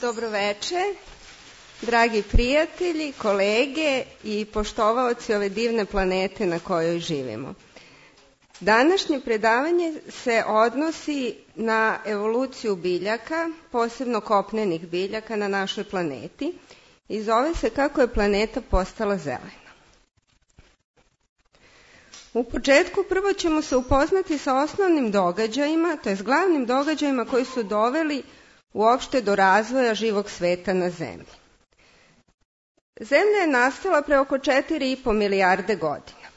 Dobroveče, dragi prijatelji, kolege i poštovaoci ove divne planete na kojoj živimo. Današnje predavanje se odnosi na evoluciju biljaka, posebno kopnenih biljaka na našoj planeti i zove se kako je planeta postala zelena. U početku prvo ćemo se upoznati sa osnovnim događajima, to jest glavnim događajima koji su doveli uopšte do razvoja živog sveta na Zemlji. Zemlja je nastala pre oko 4,5 milijarde godina.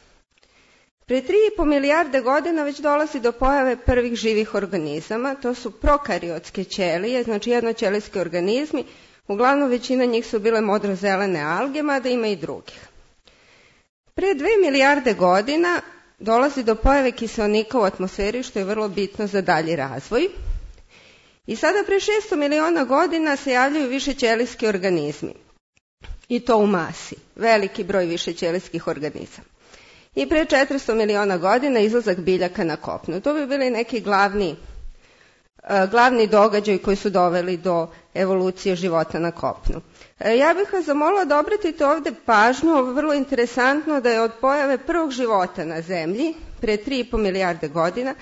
Pre 3,5 milijarde godina već dolazi do pojave prvih živih organizama, to su prokariotske ćelije, znači jednoćelijski organizmi, uglavnom većina njih su bile modrozelene alge, mada ima i drugih. Pre 2 milijarde godina dolazi do pojave kiseonika u atmosferi, što je vrlo bitno za dalji razvoj. I sada pre 600 miliona godina se javljaju višećelijski organizmi. I to u masi. Veliki broj višećelijskih organizama. I pre 400 miliona godina izlazak biljaka na kopnu. To bi bili neki glavni događaj koji su doveli do evolucije života na kopnu. Ja bih vas zamolila da obratite ovde pažnju, ovo je vrlo interesantno, da je od pojave prvog života na Zemlji, pre 3,5 milijarde godina,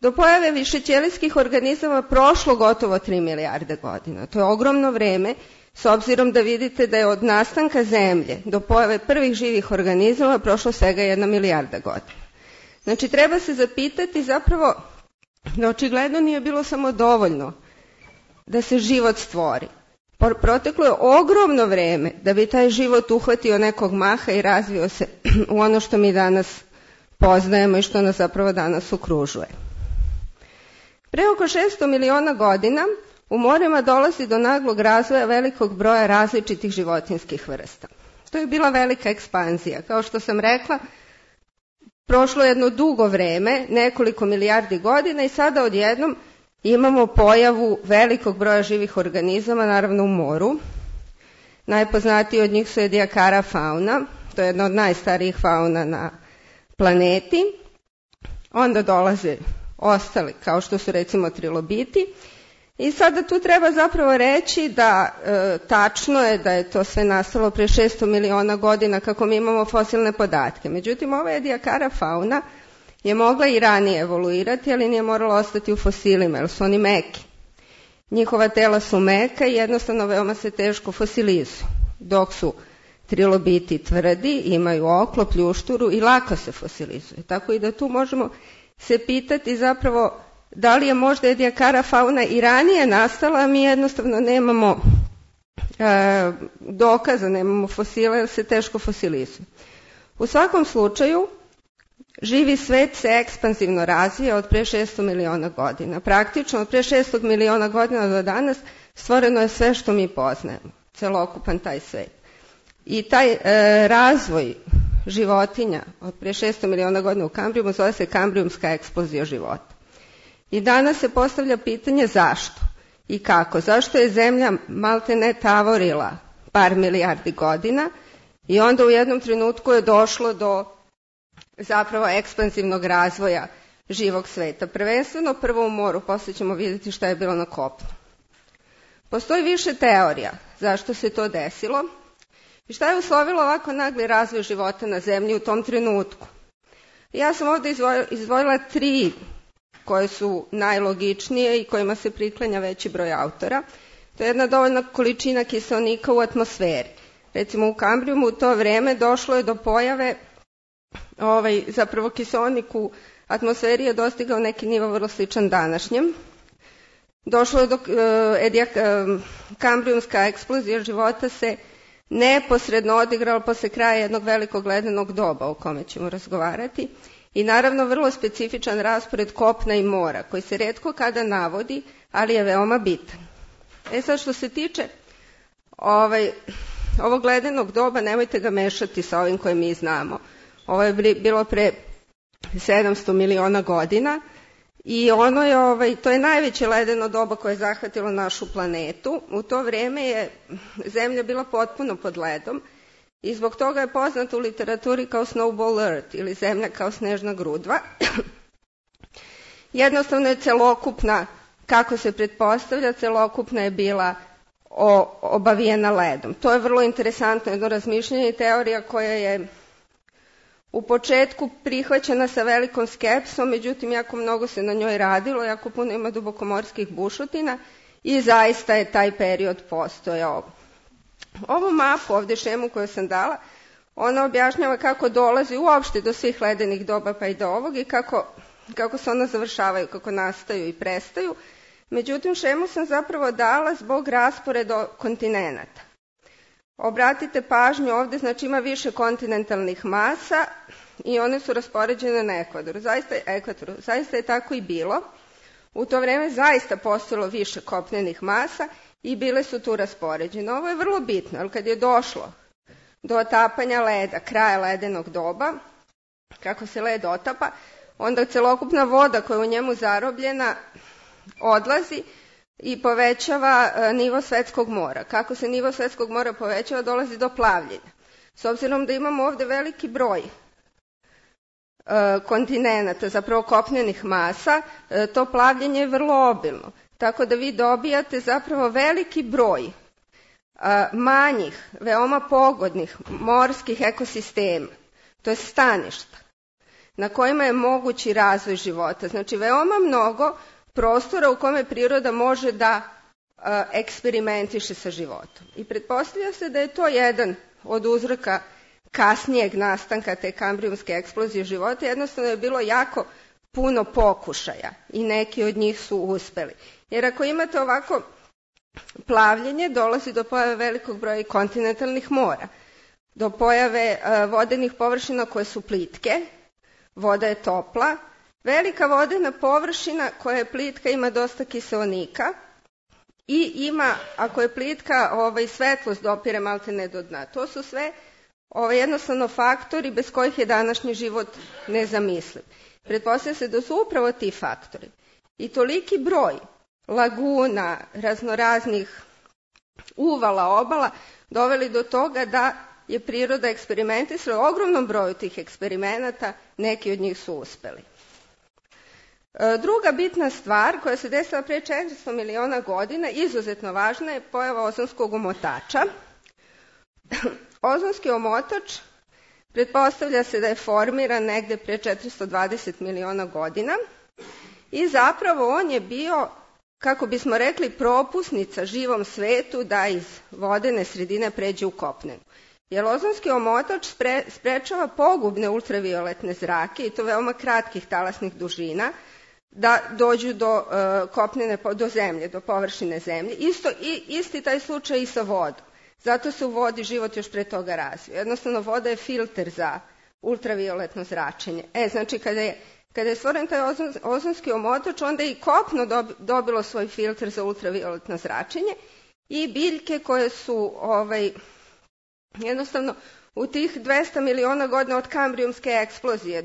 do pojave višećelijskih organizama prošlo gotovo 3 milijarde godina. To je ogromno vreme, s obzirom da vidite da je od nastanka Zemlje do pojave prvih živih organizama prošlo svega 1 milijarda godina. Znači, treba se zapitati zapravo da očigledno nije bilo samo dovoljno da se život stvori. Proteklo je ogromno vreme da bi taj život uhvatio nekog maha i razvio se u ono što mi danas poznajemo i što nas zapravo danas okružuje. Pre oko 600 miliona godina u morima dolazi do naglog razvoja velikog broja različitih životinjskih vrsta. To je bila velika ekspanzija. Kao što sam rekla, prošlo je jedno dugo vreme, nekoliko milijardi godina i sada odjednom imamo pojavu velikog broja živih organizama, naravno u moru. Najpoznatiji od njih su Ediacara fauna, to je jedna od najstarijih fauna na planeti. Onda dolaze ostali, kao što su recimo trilobiti. I sada tu treba zapravo reći da tačno je da je to sve nastalo pre 600 miliona godina kako mi imamo fosilne podatke. Međutim, ova Ediacara fauna je mogla i ranije evoluirati, ali nije morala ostati u fosilima, jer su oni meki. Njihova tela su meka i jednostavno veoma se teško fosilizuju, dok su trilobiti tvrdi, imaju oklo, pljušturu i lako se fosilizuju. Tako i da tu možemo se pitati zapravo da li je možda Ediacara fauna i ranije nastala, a mi jednostavno nemamo dokaza, nemamo fosila jer se teško fosilizuju. U svakom slučaju, živi svet se ekspanzivno razvija od pre 600 miliona godina. Praktično od pre 600 miliona godina do danas stvoreno je sve što mi poznajemo, celokupan taj svet. I taj razvoj životinja od pre 600 miliona godina u Kambrijumu zove se kambrijumska eksplozija života. I danas se postavlja pitanje zašto i kako. Zašto je Zemlja maltene tavorila par milijardi godina i onda u jednom trenutku je došlo do zapravo ekspansivnog razvoja živog sveta. Prvenstveno prvo u moru, posle ćemo vidjeti šta je bilo na kopnu. Postoji više teorija zašto se to desilo i šta je uslovilo ovako nagli razvoj života na Zemlji u tom trenutku. Ja sam ovde izdvojila 3 koje su najlogičnije i kojima se priklanja veći broj autora. To je jedna dovoljna količina kiseonika u atmosferi. Recimo u Kambrijumu u to vreme došlo je do pojave, zapravo kiseonik u atmosferi je dostigao neki nivo vrlo sličan današnjem. Došlo je do kambrijumska eksplozija života se neposredno odigrala posle kraja jednog velikog ledenog doba o kome ćemo razgovarati. I naravno vrlo specifičan raspored kopna i mora koji se retko kada navodi, ali je veoma bitan. Sad što se tiče ovog ledenog doba, nemojte ga mešati sa ovim koje mi znamo. Ovo je bilo pre 700 miliona godina i to je najveće ledeno doba koje je zahvatilo našu planetu. U to vreme je Zemlja bila potpuno pod ledom i zbog toga je poznata u literaturi kao Snowball Earth ili Zemlja kao snežna grudva. Jednostavno je celokupna, kako se pretpostavlja, celokupna je bila obavijena ledom. To je vrlo interesantno jedno razmišljanje i teorija koja je u početku prihvaćena sa velikom skepsom, međutim jako mnogo se na njoj radilo, jako puno ima dubokomorskih bušotina i zaista je taj period postojao. Ovu mapu, ovdje šemu koju sam dala, ona objašnjava kako dolazi uopšte do svih ledenih doba pa i do ovog i kako se ona završavaju, kako nastaju i prestaju. Međutim, šemu sam zapravo dala zbog rasporeda kontinenata. Obratite pažnju, ovdje znači ima više kontinentalnih masa i one su raspoređene na ekvadoru. Zaista je tako i bilo. U to vrijeme zaista postojalo više kopnenih masa i bile su tu raspoređene. Ovo je vrlo bitno, jer kad je došlo do otapanja leda, kraja ledenog doba, kako se led otapa, onda celokupna voda koja je u njemu zarobljena odlazi i povećava nivo svetskog mora. Kako se nivo svetskog mora povećava, dolazi do plavljenja. S obzirom da imamo ovdje veliki broj kontinenata, zapravo kopnenih masa, to plavljenje je vrlo obilno. Tako da vi dobijate zapravo veliki broj manjih, veoma pogodnih morskih ekosistema, to je staništa, na kojima je mogući razvoj života. Znači veoma mnogo prostora u kome priroda može da eksperimentiše sa životom. I pretpostavlja se da je to jedan od uzroka kasnijeg nastanka te kambrijumske eksplozije života. Jednostavno je bilo jako puno pokušaja i neki od njih su uspeli. Jer ako imate ovako plavljenje, dolazi do pojave velikog broja kontinentalnih mora, do pojave vodenih površina koje su plitke, voda je topla, velika vodena površina koja je plitka ima dosta kiseonika i ima, ako je plitka, svetlost dopire maltene do dna. To su sve jednostavno faktori bez kojih je današnji život nezamisliv. Pretpostavlja se da su upravo ti faktori i toliki broj laguna, raznoraznih uvala, obala, doveli do toga da je priroda eksperimentisala. U ogromnom broju tih eksperimenata neki od njih su uspeli. Druga bitna stvar koja se desila pre 400 miliona godina, izuzetno važna, je pojava ozonskog omotača. Ozonski omotač pretpostavlja se da je formiran negde pre 420 miliona godina i zapravo on je bio, kako bismo rekli, propusnica živom svetu da iz vodene sredine pređe u kopnenu. Jer ozonski omotač sprečava pogubne ultravioletne zrake, i to veoma kratkih talasnih dužina, da dođu do kopnene, do zemlje, do površine zemlje. Isti taj slučaj i sa vodom. Zato se u vodi život još pre toga razvio. Jednostavno, voda je filter za ultravioletno zračenje. Znači, kada je stvoren taj ozonski omotač, onda je i kopno dobilo svoj filter za ultravioletno zračenje i biljke koje su jednostavno u tih 200 miliona godina od kambrijumske eksplozije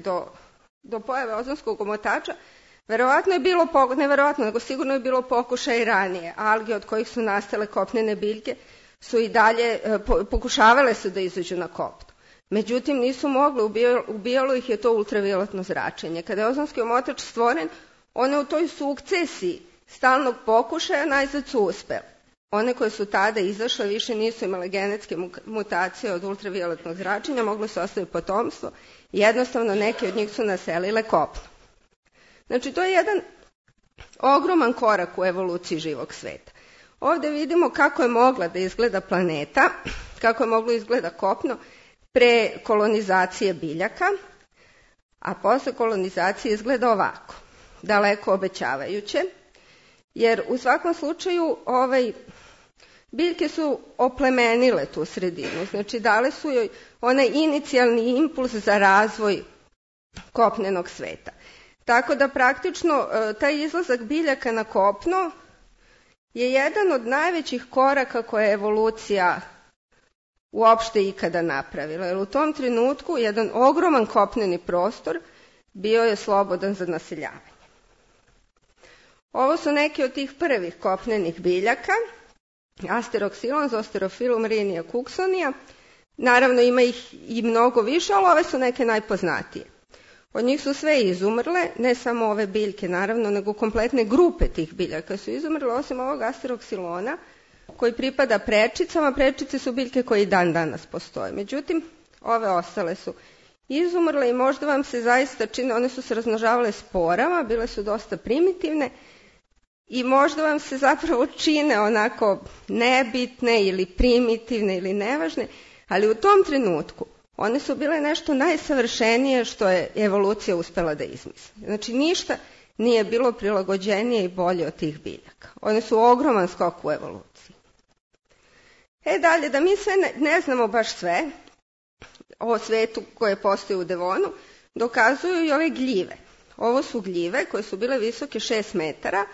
do pojave ozonskog omotača, verovatno je bilo, neverovatno, nego sigurno je bilo pokušaj i ranije. Alge od kojih su nastale kopnene biljke su i dalje pokušavale se da izađu na kopno. Međutim, nisu mogle, ubijalo ih je to ultravioletno zračenje. Kada je ozonski omotač stvoren, one u toj sukcesiji stalnog pokušaja najzad su uspele. One koje su tada izašle više nisu imale genetske mutacije od ultravioletnog zračenja, mogli su ostaviti potomstvo i jednostavno neke od njih su naselile kopno. Znači, to je jedan ogroman korak u evoluciji živog sveta. Ovdje vidimo kako je mogla da izgleda planeta, kako je moglo izgleda kopno pre kolonizacije biljaka, a posle kolonizacije izgleda ovako, daleko obećavajuće, jer u svakom slučaju biljke su oplemenile tu sredinu, znači dale su joj onaj inicijalni impuls za razvoj kopnenog sveta. Tako da praktično taj izlazak biljaka na kopno je jedan od najvećih koraka koje je evolucija uopšte ikada napravila. Jer u tom trenutku jedan ogroman kopneni prostor bio je slobodan za naseljavanje. Ovo su neki od tih prvih kopnenih biljaka, Asteroxylon, Zosterophyllum, Rhynia, Cooksonia. Naravno ima ih i mnogo više, ali ove su neke najpoznatije. Od njih su sve izumrle, ne samo ove biljke naravno, nego kompletne grupe tih biljaka su izumrle, osim ovog Asteroxylona, koji pripada prečicama. Prečice su biljke koje i dan danas postoje. Međutim, ove ostale su izumrle i možda vam se zaista čine, one su se razmnožavale sporama, bile su dosta primitivne i možda vam se zapravo čine onako nebitne ili primitivne ili nevažne, ali u tom trenutku one su bile nešto najsavršenije što je evolucija uspela da izmisli. Znači ništa nije bilo prilagođenije i bolje od tih biljaka. One su ogroman skok u evoluciji. Dalje, da mi sve ne znamo baš sve o svetu koje postoji u Devonu, dokazuju i ove gljive. Ovo su gljive koje su bile visoke 6 metara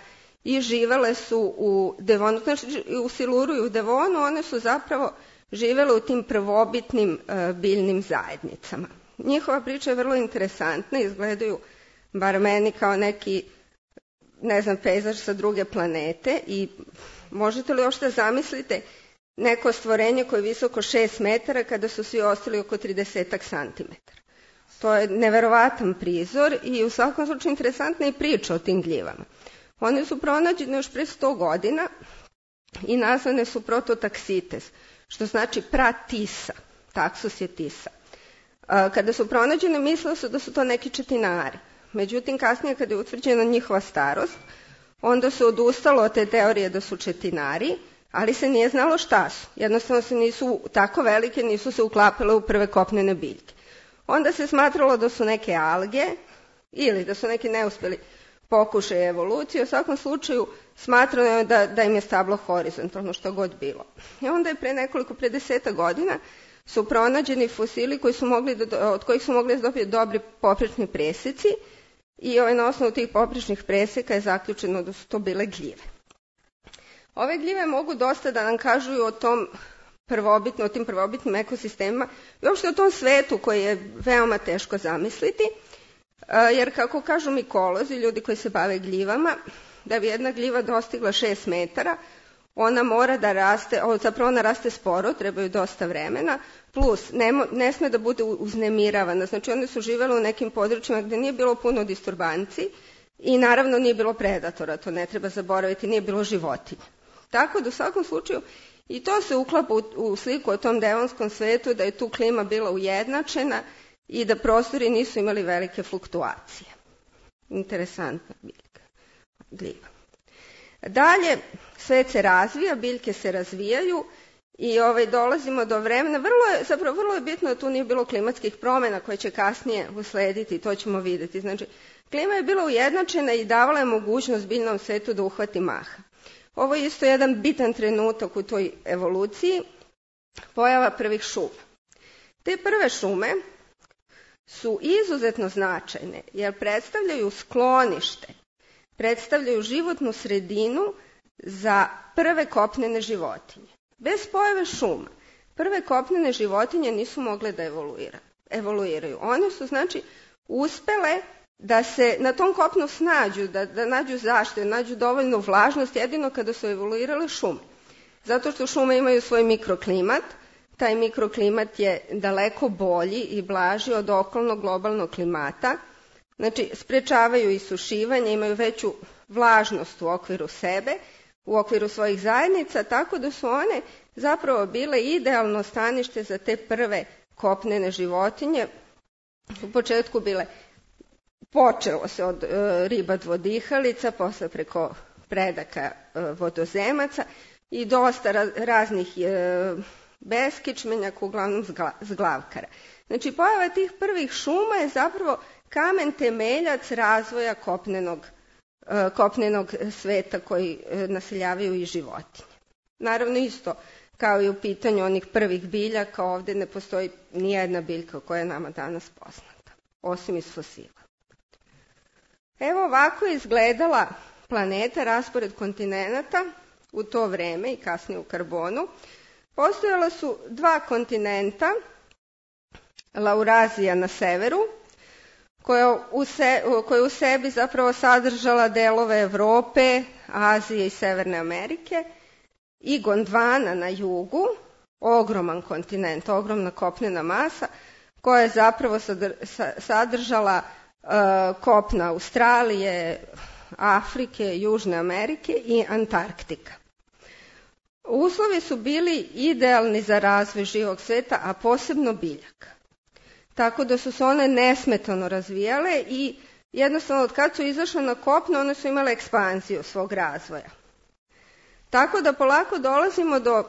i živele su u Devonu, znači u Siluru i u Devonu, one su zapravo živele u tim prvobitnim biljnim zajednicama. Njihova priča je vrlo interesantna, izgledaju, bar meni, kao neki, ne znam, pejzaž sa druge planete i možete li još da zamislite neko stvorenje koje je visoko 6 metara kada su svi ostali oko 30 santimetara. To je neverovatan prizor i u svakom slučaju interesantna je priča o tim gljivama. One su pronađene još pre 100 godina i nazvane su prototaksites, što znači pratisa. Taksus je tisa. Kada su pronađene, mislilo se da su to neki četinari. Međutim, kasnije kada je utvrđena njihova starost, onda se odustalo od te teorije da su četinari, ali se nije znalo šta su. Jednostavno se nisu tako velike, nisu se uklapale u prve kopnene biljke. Onda se smatralo da su neke alge ili da su neki neuspeli pokušaj evolucije. U svakom slučaju smatrano je da im je stablo horizontalno, što god bilo. I onda je pre 10 godina su pronađeni fosili od kojih su mogli da dobiju dobri poprečni preseci i na osnovu tih poprečnih preseka je zaključeno da su to bile gljive. Ove gljive mogu dosta da nam kažu o tim prvobitnim ekosistemima i uopšte o tom svetu koji je veoma teško zamisliti, jer kako kažu mikolozi, ljudi koji se bave gljivama, da bi jedna gljiva dostigla 6 metara, ona mora da raste, zapravo ona raste sporo, trebaju dosta vremena, plus ne sme da bude uznemiravana, znači one su živele u nekim područjima gde nije bilo puno disturbanci i naravno nije bilo predatora, to ne treba zaboraviti, nije bilo životinja. Tako da u svakom slučaju i to se uklapa u sliku o tom devonskom svetu, da je tu klima bila ujednačena i da prostori nisu imali velike fluktuacije. Interesantna gljiva. Dalje, svet se razvija, biljke se razvijaju i dolazimo do vremena. Vrlo je bitno da tu nije bilo klimatskih promjena koje će kasnije uslediti, to ćemo vidjeti. Znači, klima je bila ujednačena i davala je mogućnost biljnom svetu da uhvati maha. Ovo je isto jedan bitan trenutak u toj evoluciji, pojava prvih šuma. Te prve šume su izuzetno značajne jer predstavljaju sklonište, predstavljaju životnu sredinu za prve kopnene životinje. Bez pojave šuma, prve kopnene životinje nisu mogle da evoluiraju. One su, znači, uspele da se na tom kopnu snađu, da nađu zaštitu, nađu dovoljnu vlažnost jedino kada su evoluirale šume. Zato što šume imaju svoj mikroklimat, taj mikroklimat je daleko bolji i blaži od okolnog globalnog klimata, znači sprečavaju isušivanje, imaju veću vlažnost u okviru sebe, u okviru svojih zajednica, tako da su one zapravo bile idealno stanište za te prve kopnene životinje. U početku počelo se od riba dvodihalica, posle preko predaka vodozemaca i dosta raznih beskičmenjaka, uglavnom zglavkara. Znači, pojava tih prvih šuma je zapravo kamen temeljac razvoja kopnenog sveta koji naseljavaju i životinje. Naravno, isto kao i u pitanju onih prvih biljaka, ovdje ne postoji nijedna biljka koja je nama danas poznata, osim iz fosila. Evo ovako je izgledala planeta, raspored kontinenata u to vreme i kasnije u karbonu. Postojala su 2 kontinenta, Laurazija na severu, koja u sebi zapravo sadržala delove Evrope, Azije i Severne Amerike, i Gondvana na jugu, ogroman kontinent, ogromna kopnena masa, koja je zapravo sadržala kopna Australije, Afrike, Južne Amerike i Antarktika. uslovi su bili idealni za razvoj živog sveta, a posebno biljaka. Tako da su se one nesmetano razvijale i jednostavno od kad su izašle na kopno, one su imale ekspanziju svog razvoja. Tako da polako dolazimo do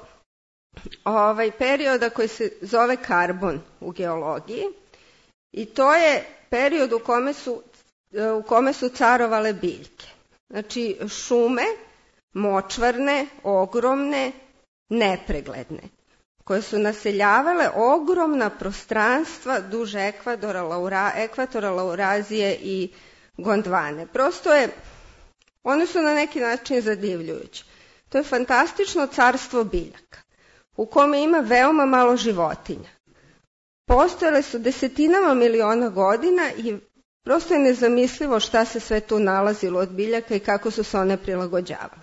perioda koji se zove karbon u geologiji i to je period u kome su carovale biljke. Znači šume, močvarne, ogromne, nepregledne, koje su naseljavale ogromna prostranstva duž ekvatora Laurazije i Gondvane. One su na neki način zadivljujuće. To je fantastično carstvo biljaka, u kome ima veoma malo životinja. Postojale su desetinama miliona godina i prosto je nezamislivo šta se sve tu nalazilo od biljaka i kako su se one prilagođavale.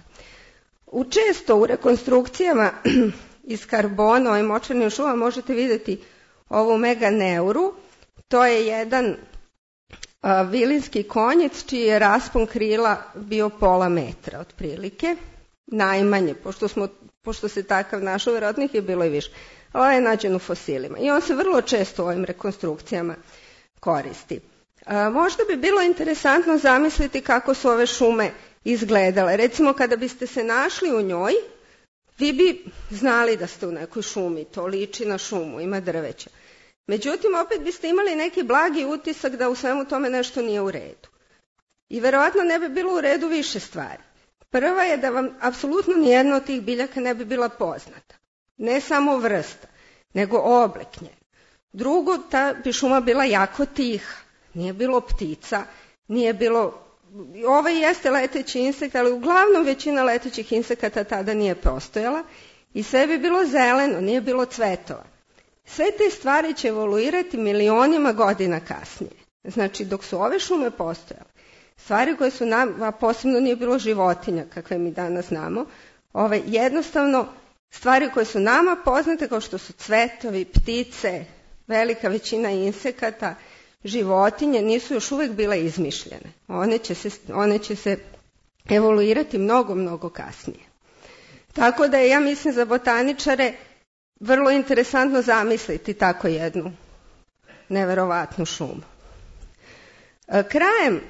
Često u rekonstrukcijama iz karbona, ovim močvarnim šumama, možete vidjeti ovu meganeuru. To je jedan vilinski konjec čiji je raspon krila bio pola metra otprilike, najmanje, pošto se takav našao, vjerojatno ih je bilo i više, ali je nađen u fosilima i on se vrlo često u ovim rekonstrukcijama koristi. Možda bi bilo interesantno zamisliti kako su ove šume izgledale. Recimo kada biste se našli u njoj, vi bi znali da ste u nekoj šumi, to liči na šumu, ima drveća. Međutim, opet biste imali neki blagi utisak da u svemu tome nešto nije u redu. I verovatno ne bi bilo u redu više stvari. Prva je da vam apsolutno nijedna od tih biljaka ne bi bila poznata. Ne samo vrsta, nego oblik nje. Drugo, ta bi šuma bila jako tiha. Nije bilo ptica, nije bilo... Ovo jeste leteći insekt, ali uglavnom većina letećih insekata tada nije postojala i sve bi bilo zeleno, nije bilo cvetova. Sve te stvari će evoluirati milionima godina kasnije. Znači, dok su ove šume postojale, stvari koje su nam, a posebno nije bilo životinja kakve mi danas znamo, jednostavno stvari koje su nama poznate kao što su cvetovi, ptice, velika većina insekata, životinje nisu još uvijek bile izmišljene. One će se evoluirati mnogo, mnogo kasnije. Tako da je, ja mislim, za botaničare vrlo interesantno zamisliti tako jednu neverovatnu šumu. Krajem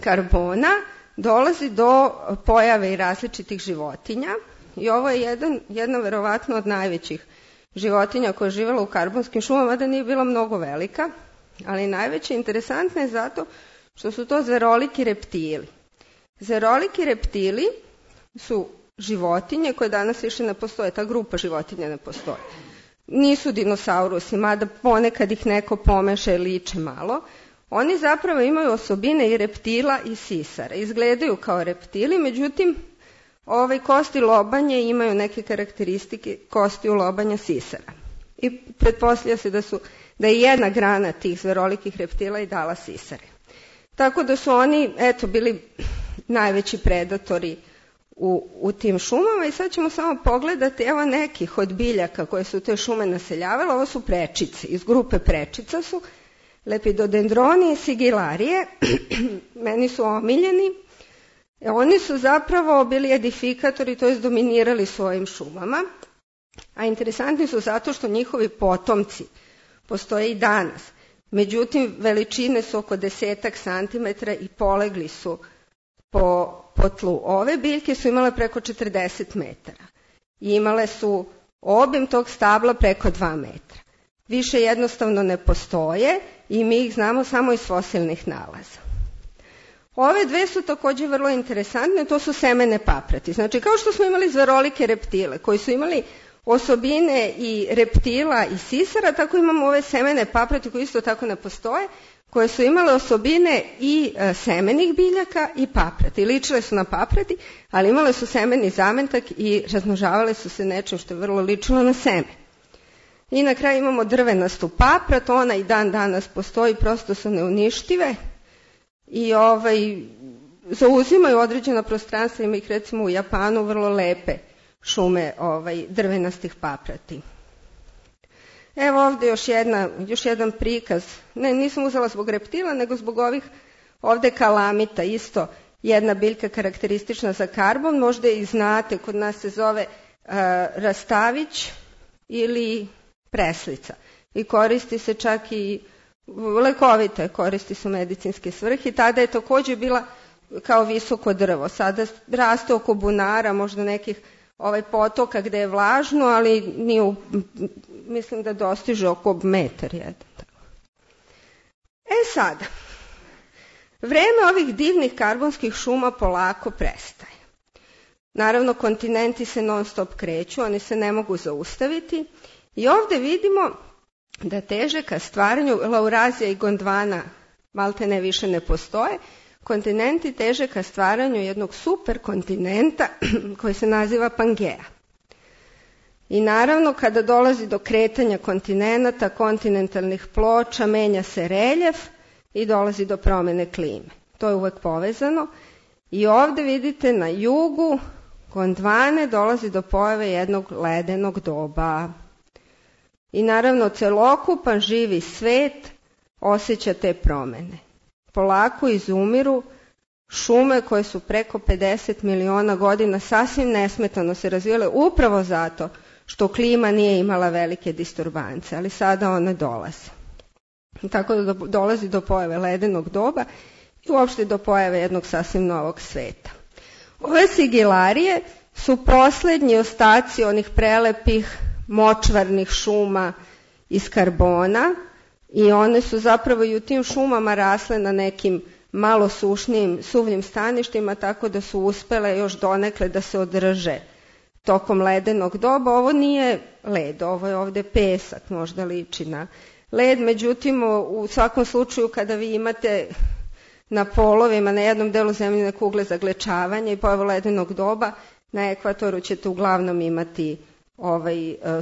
karbona dolazi do pojave i različitih životinja i ovo je jedna verovatno od najvećih životinja koja je živjela u karbonskim šumama, da nije bila mnogo velika, ali najveće interesantne je zato što su to zveroliki reptili. Zveroliki reptili su životinje koje danas više ne postoje, ta grupa životinja ne postoji. Nisu dinosaurusi, mada ponekad ih neko pomeša i liče malo. Oni zapravo imaju osobine i reptila i sisara. Izgledaju kao reptili, međutim, kosti lobanje imaju neke karakteristike kostiju lobanja sisara. I pretpostavlja se da je jedna grana tih zverolikih reptila i dala sisare. Tako da su oni, bili najveći predatori u tim šumama i sad ćemo samo pogledati, evo nekih od biljaka koje su te šume naseljavale, ovo su prečice, iz grupe prečica su, lepidodendroni i sigilarije, meni su omiljeni. Oni su zapravo bili edifikatori, to je dominirali svojim šumama, a interesantni su zato što njihovi potomci postoje i danas. Međutim, veličine su oko 10 centimetara i polegli su po tlu. Ove biljke su imale preko 40 metara i imale su obim tog stabla preko 2 metra. Više jednostavno ne postoje i mi ih znamo samo iz fosilnih nalaza. Ove dve su također vrlo interesantne, to su semene paprati. Znači, kao što smo imali zverolike reptile koji su imali osobine i reptila i sisara, tako imamo ove semene paprati koji isto tako ne postoje, koje su imale osobine i semenih biljaka i paprati. Ličile su na paprati, ali imale su semeni zametak i razmnožavale su se nečim što je vrlo ličilo na seme. I na kraju imamo drvenastu paprat, ona i dan danas postoji, prosto su neuništive i zauzimaju određena prostranstva, ima ih recimo u Japanu vrlo lepe šume drvenastih paprati. Evo ovdje još jedan prikaz, nisam uzela zbog reptila, nego zbog ovih ovdje kalamita, isto jedna biljka karakteristična za karbon, možda i znate, kod nas se zove rastavić ili preslica. I koristi se čak i lekovite, koristi se u medicinske svrhe. Tada je također bila kao visoko drvo. Sada raste oko bunara, možda nekih potoka gde je vlažno, ali nije, mislim da dostiže oko metar jedan. Sada, vreme ovih divnih karbonskih šuma polako prestaje. Naravno, kontinenti se non stop kreću, oni se ne mogu zaustaviti i ovde vidimo da teže ka stvaranju, Laurazija i Gondwana malte ne više ne postoje, kontinenti teže ka stvaranju jednog superkontinenta koji se naziva Pangea. I naravno, kada dolazi do kretanja kontinenata, kontinentalnih ploča, menja se reljef i dolazi do promene klime. To je uvek povezano. I ovde vidite na jugu Gondwane dolazi do pojave jednog ledenog doba. I naravno, celokupan živi svet osjeća te promene. Polako izumiru šume koje su preko 50 miliona godina sasvim nesmetano se razvijale upravo zato što klima nije imala velike disturbance, ali sada one dolaze. Tako da dolazi do pojave ledenog doba i uopšte do pojave jednog sasvim novog sveta. Ove sigilarije su poslednji ostaci onih prelepih močvarnih šuma iz karbona i one su zapravo i u tim šumama rasle na nekim malo sušnijim, suvljim staništima, tako da su uspele još donekle da se održe tokom ledenog doba. Ovo nije led, ovo je ovde pesak, možda liči na led, međutim u svakom slučaju kada vi imate na polovima, na jednom delu zemljine kugle zaglečavanje i pojavu ledenog doba, na ekvatoru ćete uglavnom imati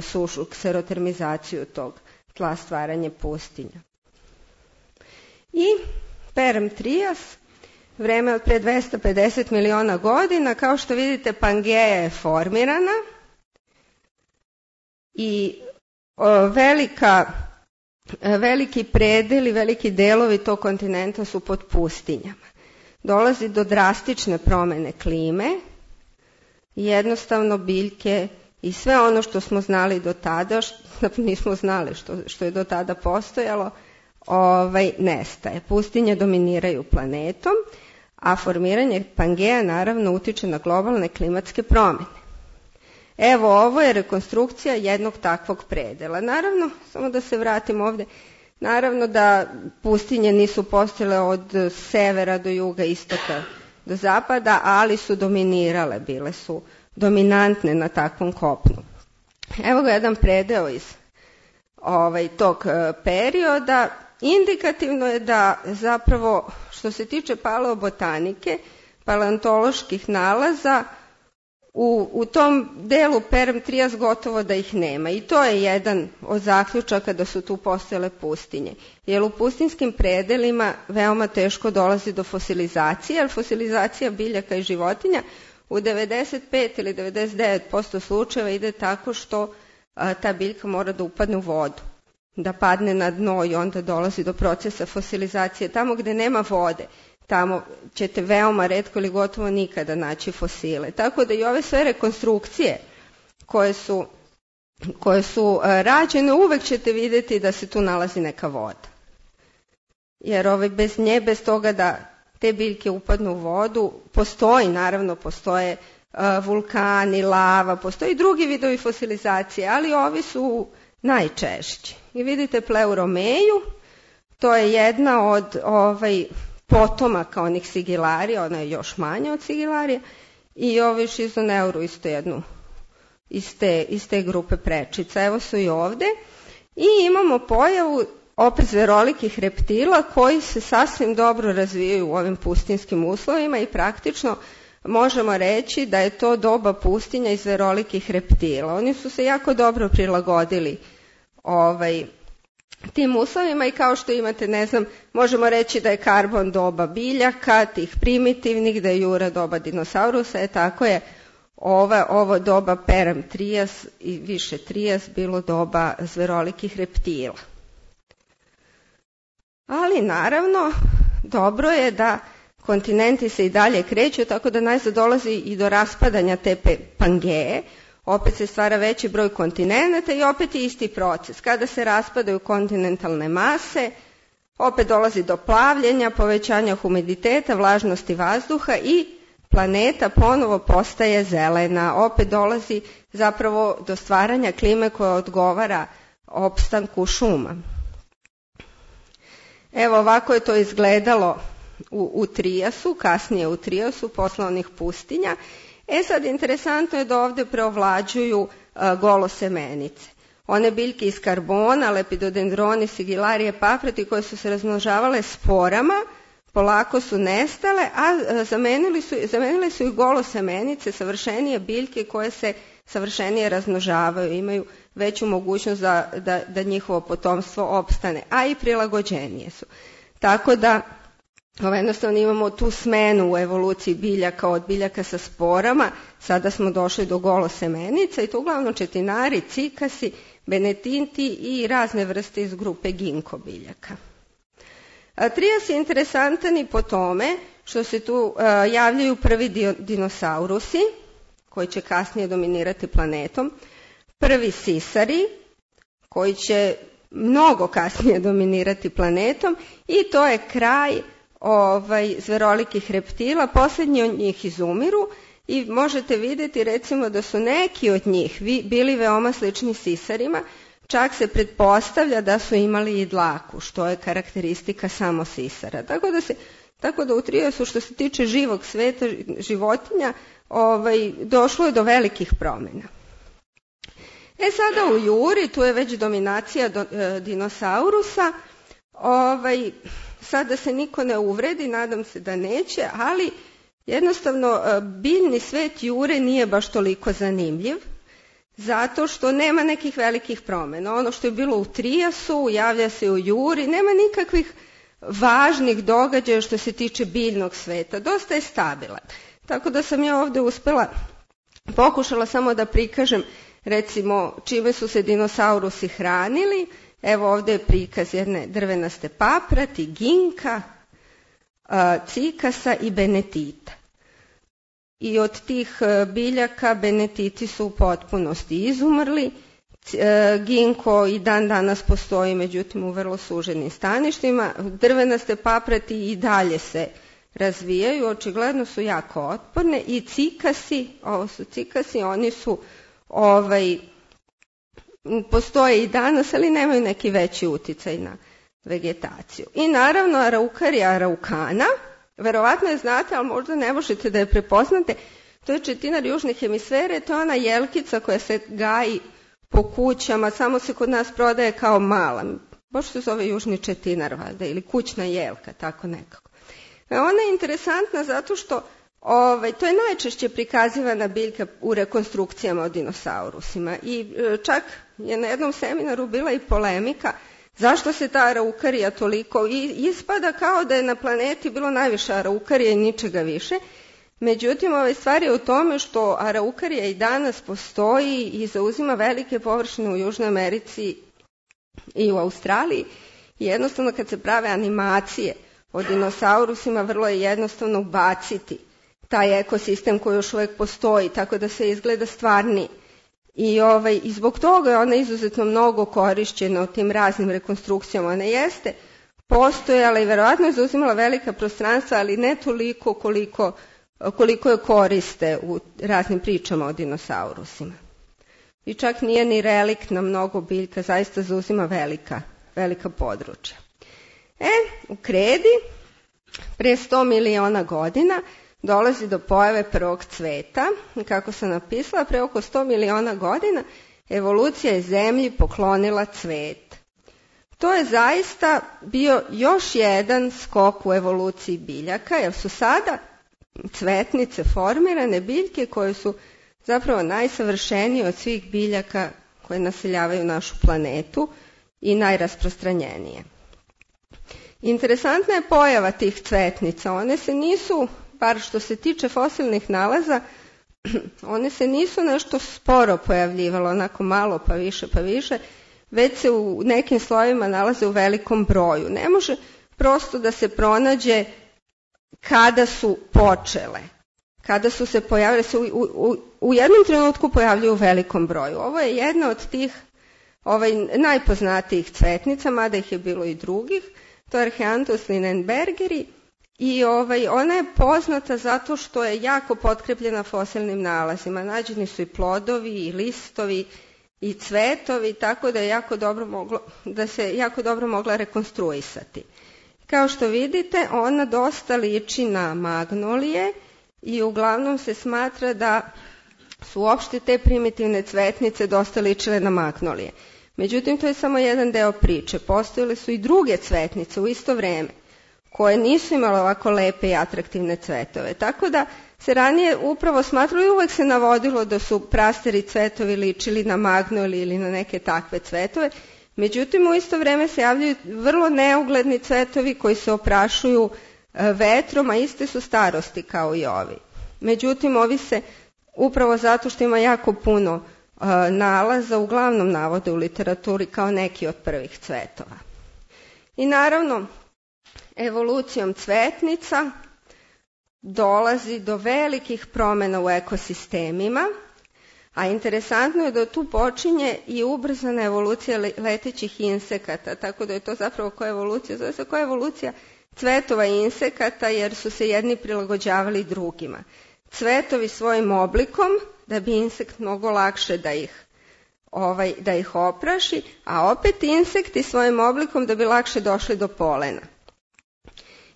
sušu, kserotermizaciju tog tla, stvaranje pustinja. I Perm-Trias, vreme od pre 250 miliona godina, kao što vidite Pangea je formirana i veliki predeli, veliki delovi tog kontinenta su pod pustinjama. Dolazi do drastične promene klime i jednostavno biljke i sve ono što smo znali do tada, nismo znali što je do tada postojalo, nestaje. Pustinje dominiraju planetom, a formiranje Pangea naravno utiče na globalne klimatske promene. Evo, ovo je rekonstrukcija jednog takvog predela. Naravno, samo da se vratim ovde, naravno da pustinje nisu postojale od severa do juga, istoka do zapada, ali su dominirale, bile su dominantne na takvom kopnu. Evo ga jedan predeo iz tog perioda. Indikativno je da zapravo što se tiče paleobotanike, paleontoloških nalaza, u tom delu Perm-Trias gotovo da ih nema. I to je jedan od zaključaka da su tu postojale pustinje. Jer u pustinskim predelima veoma teško dolazi do fosilizacije, jer fosilizacija biljaka i životinja u 95 ili 99% slučajeva ide tako što ta biljka mora da upadne u vodu, da padne na dno i onda dolazi do procesa fosilizacije. Tamo gde nema vode, tamo ćete veoma retko ili gotovo nikada naći fosile. Tako da i ove sve rekonstrukcije koje su rađene, uvek ćete vidjeti da se tu nalazi neka voda. Jer bez nje, bez toga da te biljke upadnu u vodu, postoje vulkani, lava, postoji drugi vidovi fosilizacije, ali ovi su najčešći. I vidite Pleuromeju, to je jedna od potomaka onih sigilarija, ona je još manja od sigilarija, i Šizoneuru isto jednu iz te grupe prečica. Evo su i ovde. I imamo pojavu opet zverolikih reptila koji se sasvim dobro razvijaju u ovim pustinskim uslovima i praktično možemo reći da je to doba pustinja i zverolikih reptila. Oni su se jako dobro prilagodili tim uslovima i kao što imate, možemo reći da je karbon doba biljaka, tih primitivnih, da je jura doba dinosaurusa, tako je ovo doba Perm-Trias i više Trias bilo doba zverolikih reptila. Ali naravno, dobro je da kontinenti se i dalje kreću, tako da najzad dolazi i do raspadanja te Pangeje. opet se stvara veći broj kontinenata i opet je isti proces. Kada se raspadaju kontinentalne mase, opet dolazi do plavljenja, povećanja humiditeta, vlažnosti vazduha i planeta ponovo postaje zelena. Opet dolazi zapravo do stvaranja klime koja odgovara opstanku šuma. Evo ovako je to izgledalo u Trijasu, kasnije u Trijasu, posle onih pustinja. Sad interesantno je da ovde preovlađuju golosemenice. One biljke iz karbona, lepidodendroni, sigilarije, paprati koje su se razmnožavale sporama, polako su nestale, a zamenile su ih golosemenice, savršenije biljke koje se savršenije razmnožavaju, imaju veću mogućnost da njihovo potomstvo opstane, a i prilagođenije su. Tako da jednostavno imamo tu smenu u evoluciji biljaka od biljaka sa sporama, sada smo došli do golosemenica i to uglavnom četinari, cikasi, benetinti i razne vrste iz grupe ginko biljaka. Trijas je interesantan i po tome što se tu javljaju prvi dinosaurusi, koji će kasnije dominirati planetom, prvi sisari, koji će mnogo kasnije dominirati planetom i to je kraj zverolikih reptila, posljednji od njih izumiru i možete vidjeti recimo da su neki od njih bili veoma slični sisarima, čak se pretpostavlja da su imali i dlaku, što je karakteristika samo sisara. Tako da u Trijasu što se tiče živog sveta, životinja, došlo je do velikih promjena. Sada u Juri, tu je već dominacija dinosaurusa, sad da se niko ne uvredi, nadam se da neće, ali jednostavno biljni svet Jure nije baš toliko zanimljiv, zato što nema nekih velikih promjena. Ono što je bilo u Trijasu, javlja se u Juri, nema nikakvih važnih događaja što se tiče biljnog sveta, dosta je stabilan. Tako da sam ja ovdje pokušala samo da prikažem recimo čime su se dinosaurusi hranili. Evo ovdje je prikaz jedne drvenaste paprati, ginka, cikasa i benetita. I od tih biljaka benetiti su u potpunosti izumrli. Ginko i dan danas postoji, međutim u vrlo suženim staništima. Drvenaste paprati i dalje se razvijaju, očigledno su jako otporne i cikasi, ovo su cikasi, oni su postoje i danas, ali nemaju neki veći uticaj na vegetaciju. I naravno Araukarija araukana, verovatno je znate, ali možda ne možete da je prepoznate, to je četinar južne hemisfere, to je ona jelkica koja se gaji po kućama, samo se kod nas prodaje kao mala, baš se zove južni četinar valjda, ili kućna jelka, tako nekako. Ona je interesantna zato što to je najčešće prikazivana biljka u rekonstrukcijama o dinosaurusima i čak je na jednom seminaru bila i polemika zašto se ta araukarija toliko ispada kao da je na planeti bilo najviše araukarija i ničega više. Međutim, stvar je u tome što araukarija i danas postoji i zauzima velike površine u Južnoj Americi i u Australiji. I jednostavno kad se prave animacije o dinosaurusima vrlo je jednostavno ubaciti taj ekosistem koji još uvijek postoji, tako da se izgleda stvarniji. I zbog toga je ona izuzetno mnogo korišćena u tim raznim rekonstrukcijama. Ona jeste postojala i verovatno je zauzimala velika prostranstva, ali ne toliko koliko je koriste u raznim pričama o dinosaurusima. I čak nije ni reliktna mnogo biljka, zaista zauzima velika područja. U kredi, pre 100 miliona godina, dolazi do pojave prvog cveta. Kako sam napisala, pre oko 100 miliona godina evolucija je zemlji poklonila cvet. To je zaista bio još jedan skok u evoluciji biljaka, jer su sada cvetnice formirane biljke koje su zapravo najsavršenije od svih biljaka koje naseljavaju našu planetu i najrasprostranjenije. Interesantna je pojava tih cvetnica. One se nisu, bar što se tiče fosilnih nalaza, one se nisu nešto sporo pojavljivalo, onako malo pa više, već se u nekim slojevima nalaze u velikom broju. Ne može prosto da se pronađe kada su počele. kada su se pojavile, u jednom trenutku pojavljuju u velikom broju. Ovo je jedna od tih najpoznatijih cvetnica, mada ih je bilo i drugih, to je Archeanthus linenbergeri, i ona je poznata zato što je jako potkrepljena fosilnim nalazima. Nađeni su i plodovi, i listovi, i cvetovi, tako da se jako dobro mogla rekonstruisati. Kao što vidite, ona dosta liči na magnolije i uglavnom se smatra da su uopšte te primitivne cvetnice dosta ličile na magnolije. Međutim, to je samo jedan deo priče. Postojale su i druge cvetnice u isto vreme, koje nisu imale ovako lepe i atraktivne cvetove. Tako da se ranije upravo smatralo i uvek se navodilo da su prastari cvetovi ličili na magnolije ili na neke takve cvetove. Međutim, u isto vreme se javljaju vrlo neugledni cvetovi koji se oprašuju vetrom, a iste su starosti kao i ovi. Međutim, ovi se upravo zato što ima jako puno nalaza uglavnom navode u literaturi kao neki od prvih cvetova. I naravno, evolucijom cvetnica dolazi do velikih promjena u ekosistemima, a interesantno je da tu počinje i ubrzana evolucija letećih insekata, tako da je to zapravo koja evolucija, zove se koja evolucija cvetova i insekata, jer su se jedni prilagođavali drugima. Cvetovi svojim oblikom, da bi insekt mnogo lakše da ih opraši, a opet insekti svojim oblikom da bi lakše došli do polena.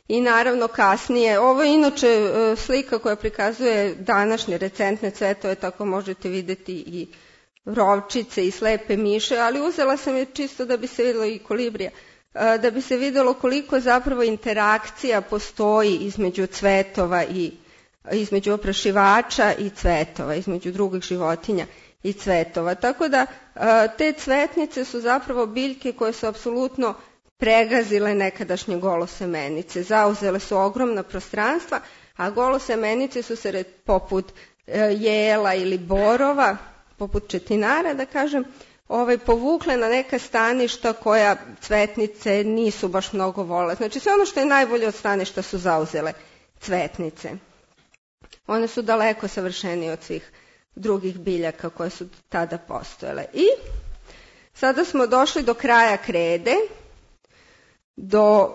I naravno kasnije, ovo je inače slika koja prikazuje današnje recentne cvetove, tako možete vidjeti i rovčice i slepe miše, ali uzela sam je čisto da bi se vidjelo i kolibrija, da bi se vidjelo koliko zapravo interakcija postoji između cvetova i između oprašivača i cvetova, između drugih životinja i cvetova. Tako da te cvetnice su zapravo biljke koje su apsolutno pregazile nekadašnje golosemenice, zauzele su ogromna prostranstva, a golosemenice su se poput jela ili borova, poput četinara da kažem, povukle na neka staništa koja cvetnice nisu baš mnogo vole. Znači sve ono što je najbolje od staništa su zauzele cvetnice. One su daleko savršenije od svih drugih biljaka koje su tada postojale. I sada smo došli do kraja krede, do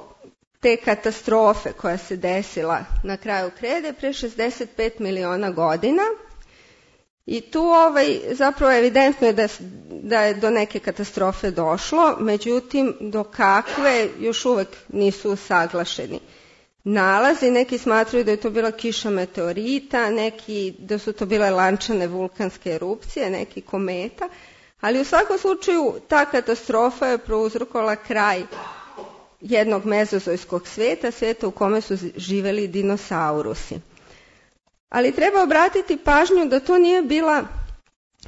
te katastrofe koja se desila na kraju krede pre 65 miliona godina. I tu zapravo evidentno je da je do neke katastrofe došlo, međutim do kakve još uvek nisu usaglašeni nalazi. Neki smatraju da je to bila kiša meteorita, neki da su to bile lančane vulkanske erupcije, neki kometa, ali u svakom slučaju ta katastrofa je prouzrokovala kraj jednog mezozojskog svijeta, svijeta u kome su živeli dinosaurusi. Ali treba obratiti pažnju da to nije bila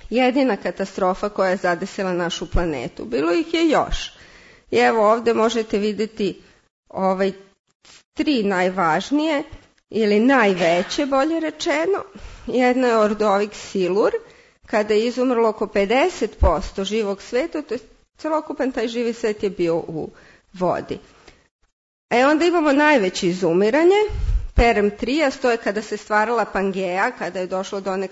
jedina katastrofa koja je zadesila našu planetu. Bilo ih je još. I evo ovdje možete vidjeti tri najvažnije ili najveće, bolje rečeno. Jedna je Ordovik silur, kada je izumrlo oko 50% živog svijeta, to je celokupan taj živi svijet je bio u vodi. Onda imamo najveće izumiranje, Perm Trias, to je kada se stvarala Pangea, kada je došlo do one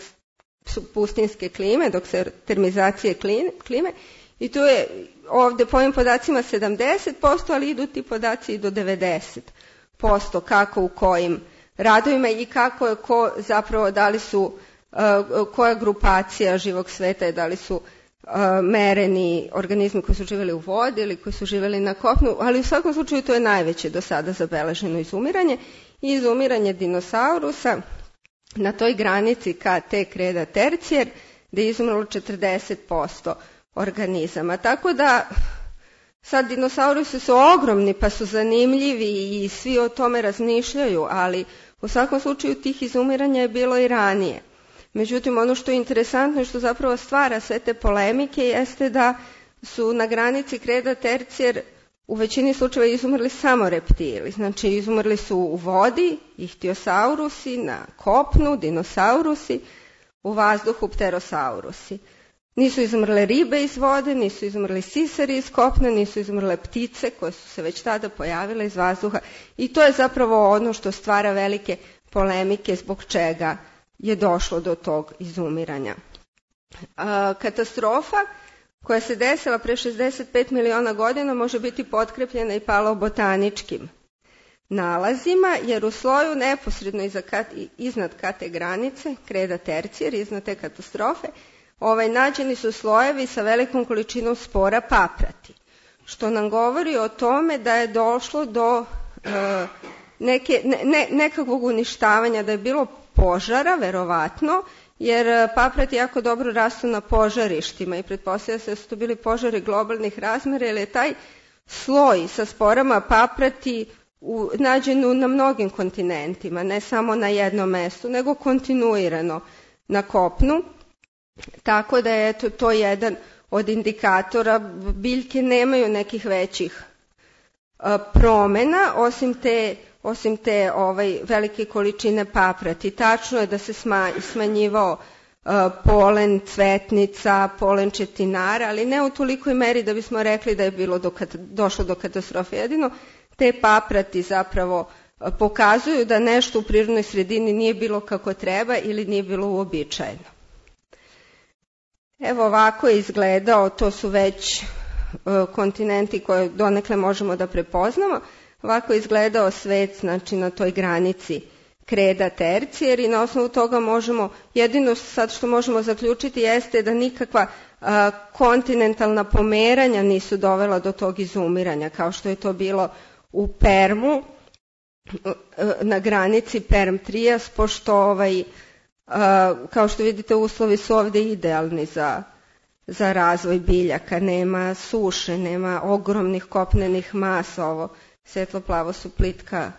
pustinske klime, dok se termizacije klime, i tu je ovdje po ovim podacima 70%, ali idu ti podaci i do 90%, kako u kojim radovima i kako je zapravo, da li su, koja grupacija živog sveta je, da li su mereni organizmi koji su živjeli u vodi ili koji su živjeli na kopnu, ali u svakom slučaju to je najveće do sada zabeleženo izumiranje. I izumiranje dinosaurusa na toj granici K.T. kreda tercijer, gdje je izumrlo 40% organizama. Tako da sad dinosaurusi su ogromni pa su zanimljivi i svi o tome razmišljaju, ali u svakom slučaju tih izumiranja je bilo i ranije. Međutim, ono što je interesantno i što zapravo stvara sve te polemike jeste da su na granici kreda tercijer u većini slučajeva izumrli samo reptili. Znači, izumrli su u vodi ihtiosaurusi, na kopnu dinosaurusi, u vazduhu pterosaurusi. Nisu izumrle ribe iz vode, nisu izumrli sisari iz kopna, nisu izumrle ptice koje su se već tada pojavile iz vazduha. I to je zapravo ono što stvara velike polemike zbog čega je došlo do tog izumiranja. Katastrofa koja se desila pre 65 miliona godina može biti potkrepljena i paleobotaničkim nalazima, jer u sloju neposredno iznad kate granice, kreda tercijer, iznad te katastrofe, nađeni su slojevi sa velikom količinom spora paprati, što nam govori o tome da je došlo do nekakvog uništavanja, da je bilo požara, verovatno, jer paprati jako dobro rastu na požarištima i pretpostavlja se da su to bili požari globalnih razmera, jer je taj sloj sa sporama paprati nađen na mnogim kontinentima, ne samo na jednom mestu, nego kontinuirano na kopnu, tako da je to jedan od indikatora. Biljke nemaju nekih većih promena, osim te velike količine paprati. Tačno je da se smanjivao polen cvetnica, polen četinara, ali ne u tolikoj meri da bismo rekli da je došlo do katastrofe. Jedino te paprati zapravo pokazuju da nešto u prirodnoj sredini nije bilo kako treba ili nije bilo uobičajeno. Evo ovako je izgledao, to su već kontinenti koje donekle možemo da prepoznamo. Ovako je izgledao svet, znači na toj granici kreda tercijer, i na osnovu toga jedino sad što možemo zaključiti jeste da nikakva kontinentalna pomeranja nisu dovela do tog izumiranja, kao što je to bilo u Permu, na granici Perm-Trias, pošto kao što vidite uslovi su ovde idealni za razvoj biljaka, nema suše, nema ogromnih kopnenih masa, ovo svetlo-plavo su plitka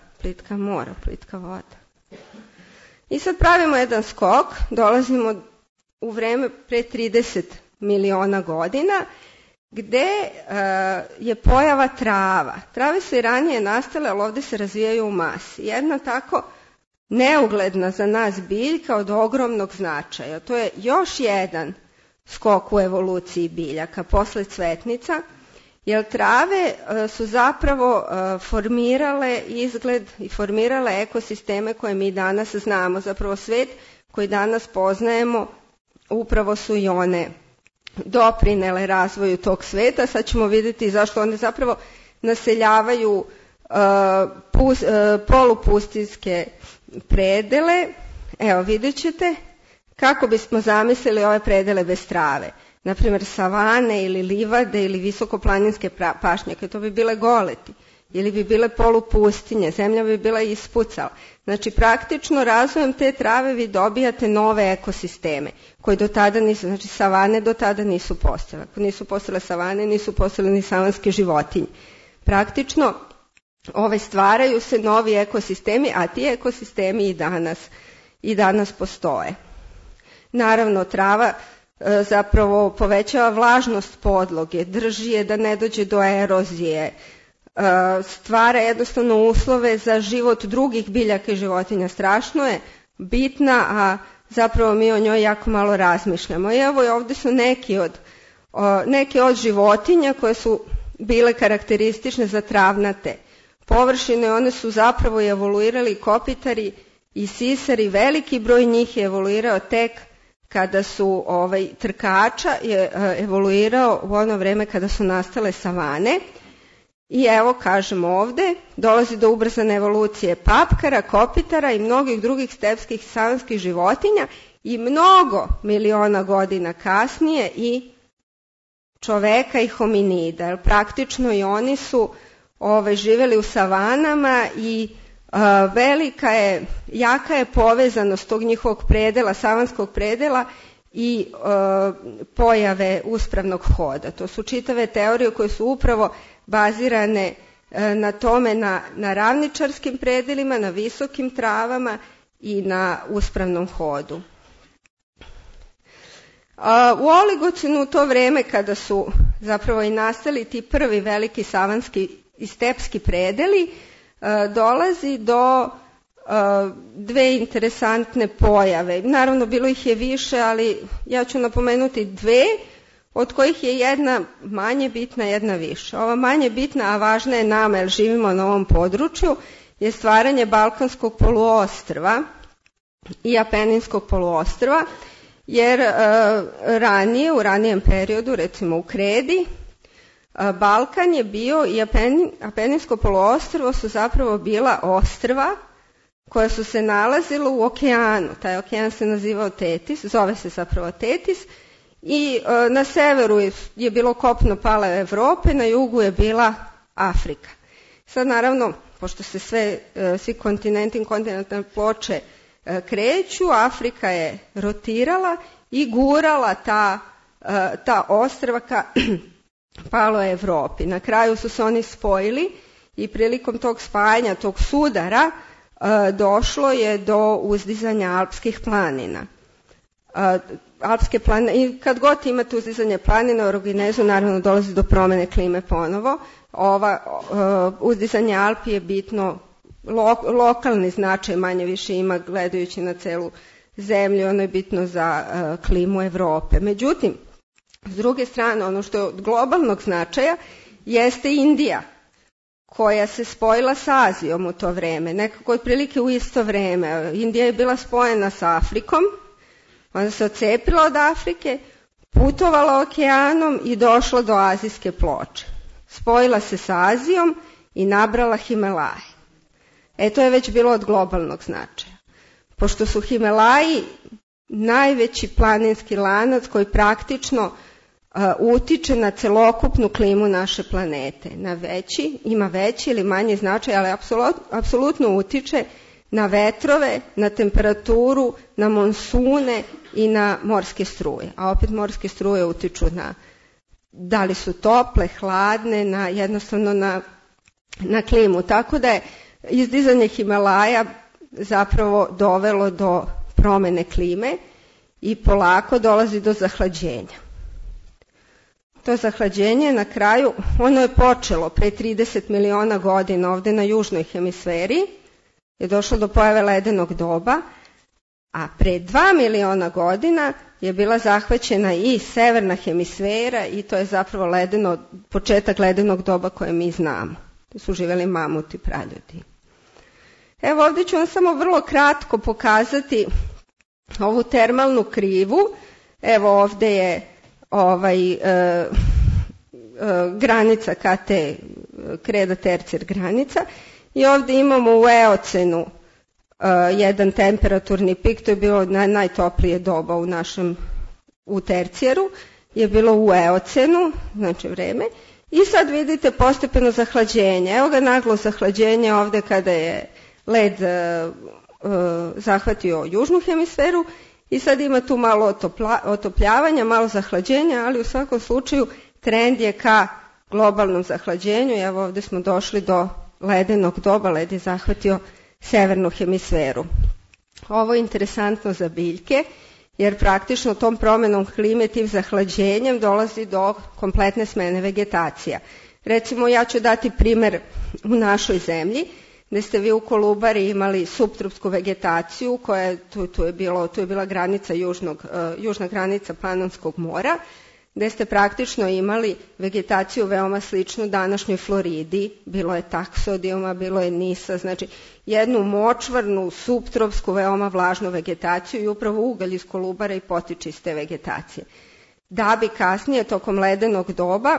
mora, plitka voda. I sad pravimo jedan skok, dolazimo u vreme pre 30 miliona godina, gde je pojava trava. Trave su i ranije nastale, ali ovde se razvijaju u masi. Jedna tako neugledna za nas biljka od ogromnog značaja. To je još jedan skok u evoluciji biljaka posle cvetnica, jer trave su zapravo formirale izgled i formirale ekosisteme koje mi danas znamo. Zapravo svet koji danas poznajemo upravo su i one doprinele razvoju tog sveta. Sad ćemo vidjeti zašto one zapravo naseljavaju polupustinske predele. Evo, vidjet ćete kako bismo zamislili ove predele bez trave. Naprimjer, savane ili livade ili visokoplaninske pašnjake, to bi bile goleti. Ili bi bile polupustinje, zemlja bi bila ispucala. Znači, praktično razvojem te trave vi dobijate nove ekosisteme, koji do tada nisu, znači savane do tada nisu postojale. Ako nisu postojale savane, nisu postojale ni savanske životinje. Praktično, stvaraju se novi ekosistemi, a ti ekosistemi i danas postoje. Naravno, trava zapravo povećava vlažnost podloge, drži je da ne dođe do erozije, stvara jednostavno uslove za život drugih biljaka i životinja. Strašno je bitna, a zapravo mi o njoj jako malo razmišljamo. I evo ovde su neke od životinja koje su bile karakteristične za travnate površine. One su zapravo evoluirali kopitari i sisari. Veliki broj njih je evoluirao tek kada su trkača je evoluirao u ono vreme kada su nastale savane. I evo, kažemo ovde, dolazi do ubrzane evolucije papkara, kopitara i mnogih drugih stepskih savanskih životinja i mnogo miliona godina kasnije i čoveka i hominida. Jer praktično i oni su živeli u savanama i jaka je povezanost tog njihovog predela, savanskog predela i pojave uspravnog hoda. To su čitave teorije koje su upravo bazirane na tome, na ravničarskim predelima, na visokim travama i na uspravnom hodu. U Oligocenu, u to vreme kada su zapravo i nastali ti prvi veliki savanski i stepski predeli, dolazi do dve interesantne pojave. Naravno, bilo ih je više, ali ja ću napomenuti dve, od kojih je jedna manje bitna, jedna više. Ova manje bitna, a važna je nama jer živimo na ovom području, je stvaranje Balkanskog poluostrva i Apeninskog poluostrva, jer ranije, u ranijem periodu, recimo u Kredi, Balkan je bio i Apeninsko poluostrvo su zapravo bila ostrva koja su se nalazila u okeanu. Taj okean se nazivao Tetis, zove se zapravo Tetis, i na severu je bilo kopno pale Evrope, na jugu je bila Afrika. Sad naravno, pošto se svi kontinenti, kontinentalne ploče kreću, Afrika je rotirala i gurala ta ostrva ka paloj Evropi. Na kraju su se oni spojili i prilikom tog spajanja, tog sudara, došlo je do uzdizanja alpskih planina. I kad god imate uzdizanje planina u orogenezu, naravno dolazi do promene klime ponovo. Uzdizanje Alpi je bitno, lokalni značaj manje više ima gledajući na celu zemlju, ono je bitno za klimu Evrope. Međutim, s druge strane, ono što je od globalnog značaja jeste Indija, koja se spojila sa Azijom u to vreme, nekako otprilike u isto vreme. Indija je bila spojena sa Afrikom, onda se odcepila od Afrike, putovala okeanom i došla do azijske ploče. Spojila se sa Azijom i nabrala Himalaje. To je već bilo od globalnog značaja. Pošto su Himalaji najveći planinski lanac koji praktično utiče na celokupnu klimu naše planete. Ima veći ili manji značaj, ali apsolutno utiče na vetrove, na temperaturu, na monsune i na morske struje. A opet morske struje utiču na da li su tople, hladne, jednostavno na klimu. Tako da je izdizanje Himalaja zapravo dovelo do promene klime i polako dolazi do zahlađenja. To zahlađenje na kraju, ono je počelo pre 30 miliona godina ovde na južnoj hemisferi, je došlo do pojave ledenog doba, a pre 2 miliona godina je bila zahvaćena i severna hemisfera i to je zapravo početak ledenog doba koje mi znamo. To su živeli mamuti, praljudi. Evo ovdje ću vam samo vrlo kratko pokazati ovu termalnu krivu. Evo ovdje je granica kreda tercijer granica i ovdje imamo u eocenu jedan temperaturni pik, to je bilo najtoplije doba u tercijeru, je bilo u eocenu, znači vreme, i sad vidite postepeno zahlađenje. Evo ga naglo zahlađenje ovdje kada je led zahvatio južnu hemisferu i sad ima tu malo otopljavanja, malo zahlađenja, ali u svakom slučaju trend je ka globalnom zahlađenju. Evo ovdje smo došli do ledenog doba, led je zahvatio severnu hemisferu. Ovo je interesantno za biljke, jer praktično tom promenom klime, tim zahlađenjem dolazi do kompletne smene vegetacija. Recimo, ja ću dati primer u našoj zemlji, gde ste vi u Kolubari imali suptropsku vegetaciju, koja tu je bila granica južna granica Panonskog mora, gde ste praktično imali vegetaciju veoma sličnu današnjoj Floridi, bilo je taksodijuma, bilo je nisa, znači jednu močvarnu, suptropsku, veoma vlažnu vegetaciju i upravo ugalj iz Kolubara i potiče iz te vegetacije. Da bi kasnije, tokom ledenog doba,